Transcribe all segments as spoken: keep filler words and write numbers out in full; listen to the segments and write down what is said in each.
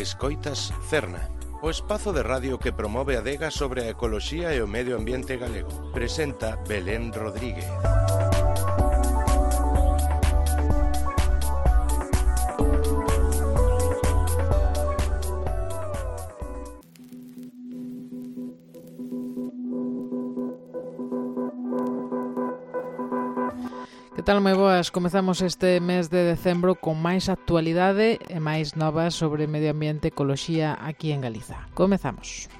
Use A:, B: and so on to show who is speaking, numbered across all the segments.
A: Escoitas Cerna, o espazo de radio que promove a adega sobre a ecoloxía e o medio ambiente galego. Presenta Belén Rodríguez.
B: Que tal, moi boas? Comezamos este mes de decembro con máis actualidade e máis novas sobre medio ambiente e ecoloxía aquí en Galiza. Comezamos.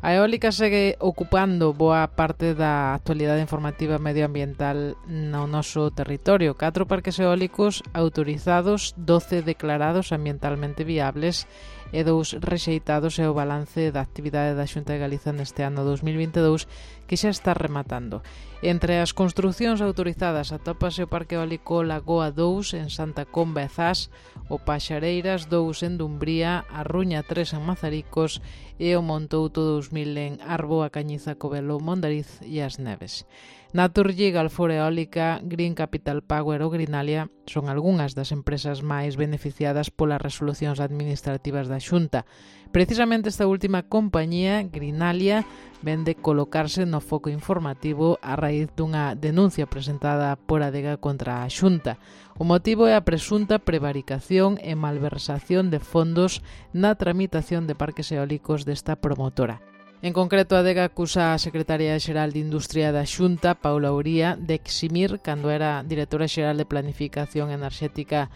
B: A eólica segue ocupando boa parte da actualidade informativa medioambiental no noso territorio. Catro parques eólicos autorizados, doce declarados ambientalmente viables e dous rexeitados é o balance da actividade da Xunta de Galiza neste ano dous mil vinte e dous que xa está rematando. Entre as construcións autorizadas atópase o Parque Eólico Lagoa dous en Santa Comba e Zas, o Paxareiras dous en Dumbría, a Ruña tres en Mazaricos e o Montouto dous mil en Arbo, a Cañiza, Covelo, Mondariz e As Neves. Naturgy, Galfor Eólica, Green Capital Power ou Greenalia son algunhas das empresas máis beneficiadas polas resolucións administrativas da Xunta. Precisamente esta última compañía, Greenalia, ven de colocarse no foco informativo a raíz dunha denuncia presentada por Adega contra a Xunta. O motivo é a presunta prevaricación e malversación de fondos na tramitación de parques eólicos desta promotora. En concreto, a Adega acusa a Secretaria Xeral de Industria da Xunta, Paula Uría, de eximir, cando era Directora Xeral de Planificación Enerxética,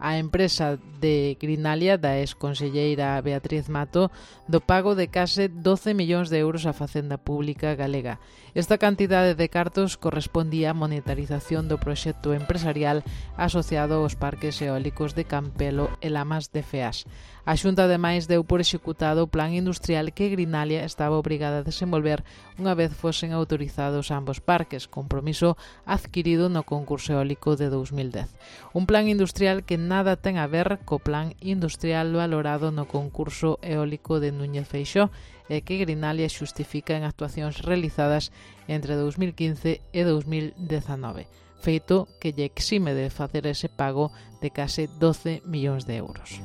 B: a empresa de Greenalia, da exconselleira Beatriz Mato, do pago de case doce millóns de euros á Facenda Pública galega. Esta cantidade de cartos correspondía á monetarización do proxecto empresarial asociado aos parques eólicos de Campelo e Lamas de Feas. A Xunta, ademais, deu por executado o plan industrial que Greenalia estaba obrigada a desenvolver unha vez fosen autorizados ambos parques, compromiso adquirido no concurso eólico de dous mil dez. Un plan industrial que nada ten a ver co plan industrial valorado no concurso eólico de Núñez Feixóo e que Greenalia xustifica en actuacións realizadas entre dous mil quince e dous mil dezanove, feito que lle exime de facer ese pago de case doce millóns de euros.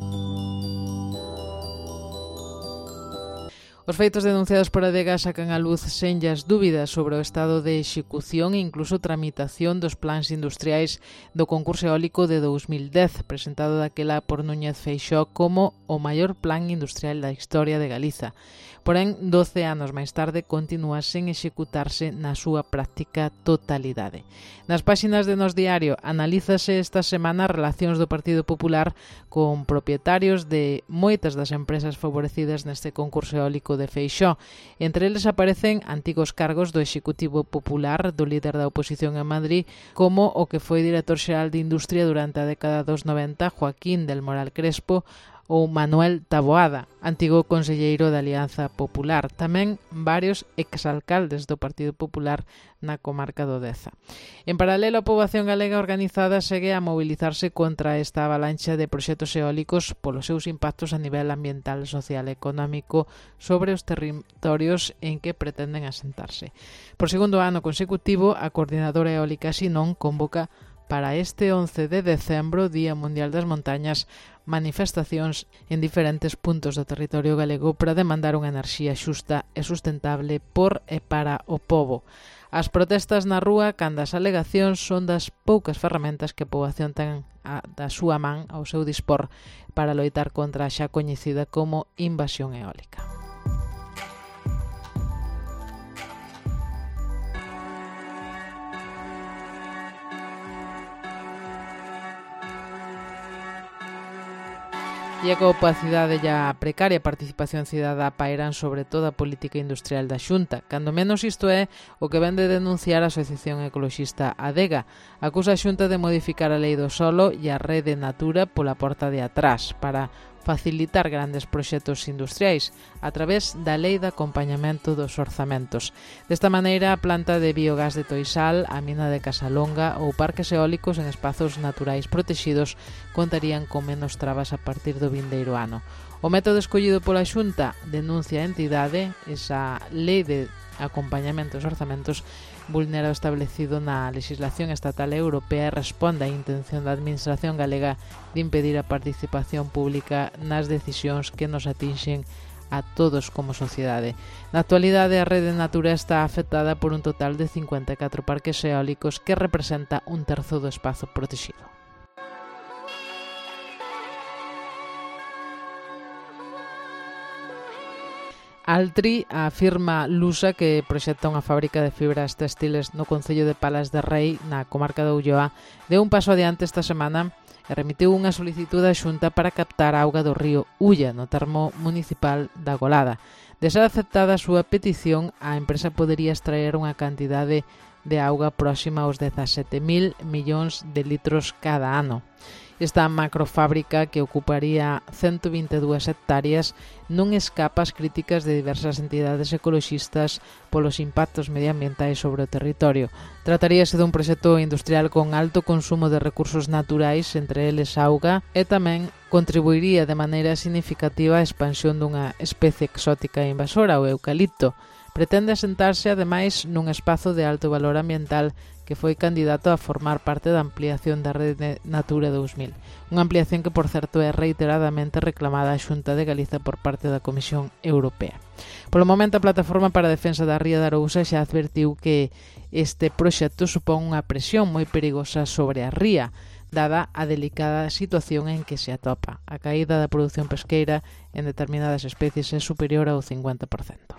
B: Os feitos denunciados por Adega sacan a luz senllas dúbidas sobre o estado de execución e incluso tramitación dos plans industriais do concurso eólico de dous mil dez, presentado daquela por Núñez Feixóo como o maior plan industrial da historia de Galiza. Porén, doce anos máis tarde, continúa sen executarse na súa práctica totalidade. Nas páxinas de Nos Diario analízase esta semana relacións do Partido Popular con propietarios de moitas das empresas favorecidas neste concurso eólico de Feixóo. Entre eles aparecen antigos cargos do Executivo Popular, do líder da oposición en Madrid, como o que foi director xeral de Industria durante a década dos noventa, Joaquín del Moral Crespo, ou Manuel Taboada, antigo conselleiro da Alianza Popular. Tamén varios exalcaldes do Partido Popular na comarca do Deza. En paralelo, a poboación galega organizada segue a mobilizarse contra esta avalancha de proxectos eólicos polos seus impactos a nivel ambiental, social e económico sobre os territorios en que pretenden asentarse. Por segundo ano consecutivo, a Coordinadora Eólica Sinón convoca para este once de decembro, Día Mundial das Montañas, manifestacións en diferentes puntos do territorio galego para demandar unha enerxía xusta e sustentable por e para o pobo. As protestas na rúa, cando as alegacións son das poucas ferramentas que a poboación ten a, da súa man ao seu dispor para loitar contra a xa coñecida como invasión eólica. E a opacidade e a precaria participación cidadá pairan sobre toda a política industrial da Xunta. Cando menos isto é o que vén de denunciar a Asociación Ecoloxista Adega. Acusa a Xunta de modificar a lei do solo e a rede Natura pola porta de atrás para facilitar grandes proxectos industriais a través da lei de acompañamento dos orzamentos. Desta maneira, a planta de biogás de Toisal, a mina de Casalonga ou parques eólicos en espazos naturais protexidos contarían con menos trabas a partir do vindeiro ano. O método escollido pola Xunta, denuncia a entidade, esa lei de acompañamento dos orzamentos, vulnera o establecido na legislación estatal e europea e responde á intención da administración galega de impedir a participación pública nas decisións que nos atinxen a todos como sociedade. Na actualidade, a rede Natura está afectada por un total de cincuenta e catro parques eólicos que representa un terzo do espazo protegido. Altri, a firma lusa que proxecta unha fábrica de fibras textiles no concello de Palas de Rei, na comarca de Ulloa, deu un paso adiante esta semana e remitiu unha solicitude á Xunta para captar a auga do río Ulla, no termo municipal da Golada. De ser aceptada a súa petición, a empresa podería extraer unha cantidade de auga próxima aos dezasete mil millóns de litros cada ano. Esta macrofábrica, que ocuparía ciento vinte e dúas hectáreas, non escapa ás críticas de diversas entidades ecoloxistas polos impactos medioambientais sobre o territorio. Trataríase dun proxecto industrial con alto consumo de recursos naturais, entre eles auga, e tamén contribuiría de maneira significativa á expansión dunha especie exótica e invasora, o eucalipto. Pretende asentarse, ademais, nun espazo de alto valor ambiental que foi candidato a formar parte da ampliación da Rede Natura dous mil. Unha ampliación que, por certo, é reiteradamente reclamada á Xunta de Galiza por parte da Comisión Europea. Polo momento, a Plataforma para a Defensa da Ría de Arousa xa advertiu que este proxecto supón unha presión moi perigosa sobre a ría, dada a delicada situación en que se atopa. A caída da produción pesqueira en determinadas especies é superior ao cincuenta por cento.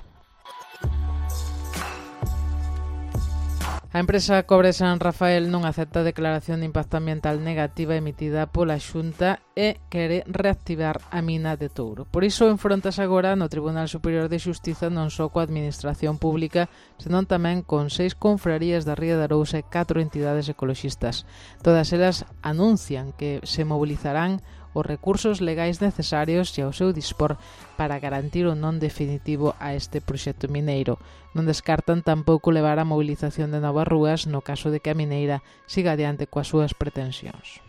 B: A empresa Cobre San Rafael non acepta a declaración de impacto ambiental negativa emitida pola Xunta e quere reactivar a mina de Touro. Por iso enfrontas agora no Tribunal Superior de Xustiza non só coa Administración Pública, senón tamén con seis confrarías da Ría de Arousa e catro entidades ecoloxistas. Todas elas anuncian que se mobilizarán os recursos legais necesarios e ao seu dispor para garantir o non definitivo a este proxecto mineiro. Non descartan tampouco levar a movilización de novas rúas no caso de que a mineira siga adiante coas súas pretensións.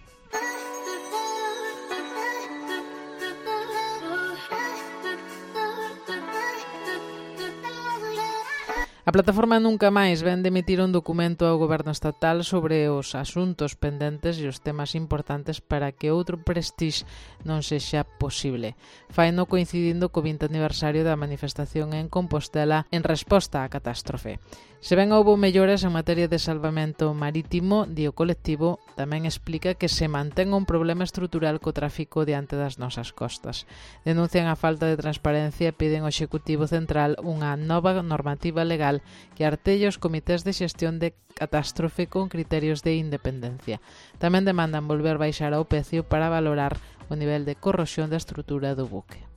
B: A plataforma Nunca Máis ven de emitir un documento ao goberno estatal sobre os asuntos pendentes e os temas importantes para que outro Prestige non sexa posible. Faino coincidindo co vinte aniversario da manifestación en Compostela en resposta á catástrofe. Se ben houbo mellores en materia de salvamento marítimo, di o colectivo, tamén explica que se mantén un problema estrutural co tráfico diante das nosas costas. Denuncian a falta de transparencia e piden ao Executivo Central unha nova normativa legal que artelle os comités de xestión de catástrofe con criterios de independencia. Tamén demandan volver baixar ao precio para valorar o nivel de corrosión da estrutura do buque.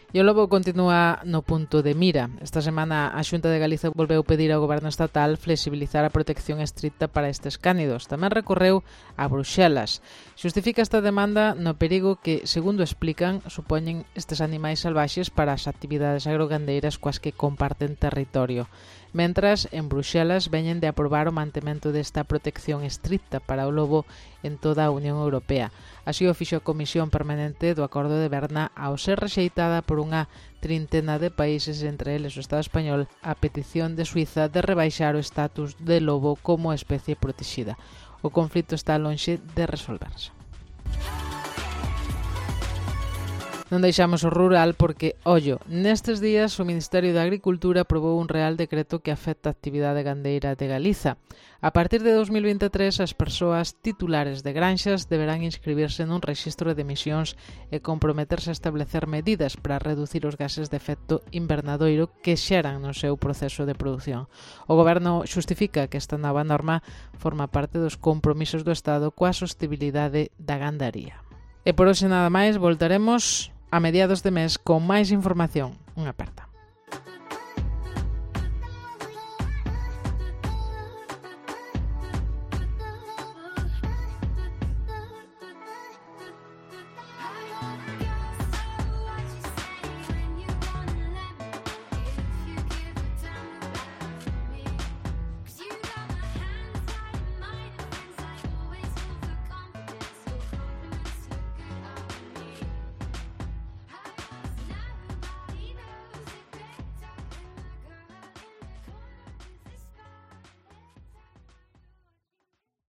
B: E o lobo continúa no punto de mira. Esta semana a Xunta de Galiza volveu pedir ao Goberno estatal flexibilizar a protección estricta para estes cánidos. Tamén recorreu a Bruxelas. Xustifica esta demanda no perigo que, segundo explican, supoñen estes animais salvaxes para as actividades agrogandeiras coas que comparten territorio. Mentras, en Bruxelas veñen de aprobar o mantemento desta protección estricta para o lobo en toda a Unión Europea. Así o fixo a Comisión Permanente do Acordo de Berna ao ser rexeitada por unha trintena de países, entre eles o Estado español, a petición de Suiza de rebaixar o estatus de lobo como especie protexida. O conflito está lonxe de resolverse. Non deixamos o rural porque, ollo, nestes días o Ministerio de Agricultura aprobou un real decreto que afecta a actividade gandeira de Galiza. A partir de dos mil veintitrés, as persoas titulares de granxas deberán inscribirse nun rexistro de emisións e comprometerse a establecer medidas para reducir os gases de efecto invernadoiro que xeran no seu proceso de produción. O Goberno xustifica que esta nova norma forma parte dos compromisos do Estado coa sostibilidade da gandaría. E por hoxe nada máis, voltaremos a mediados de mes con máis información. Unha aperta.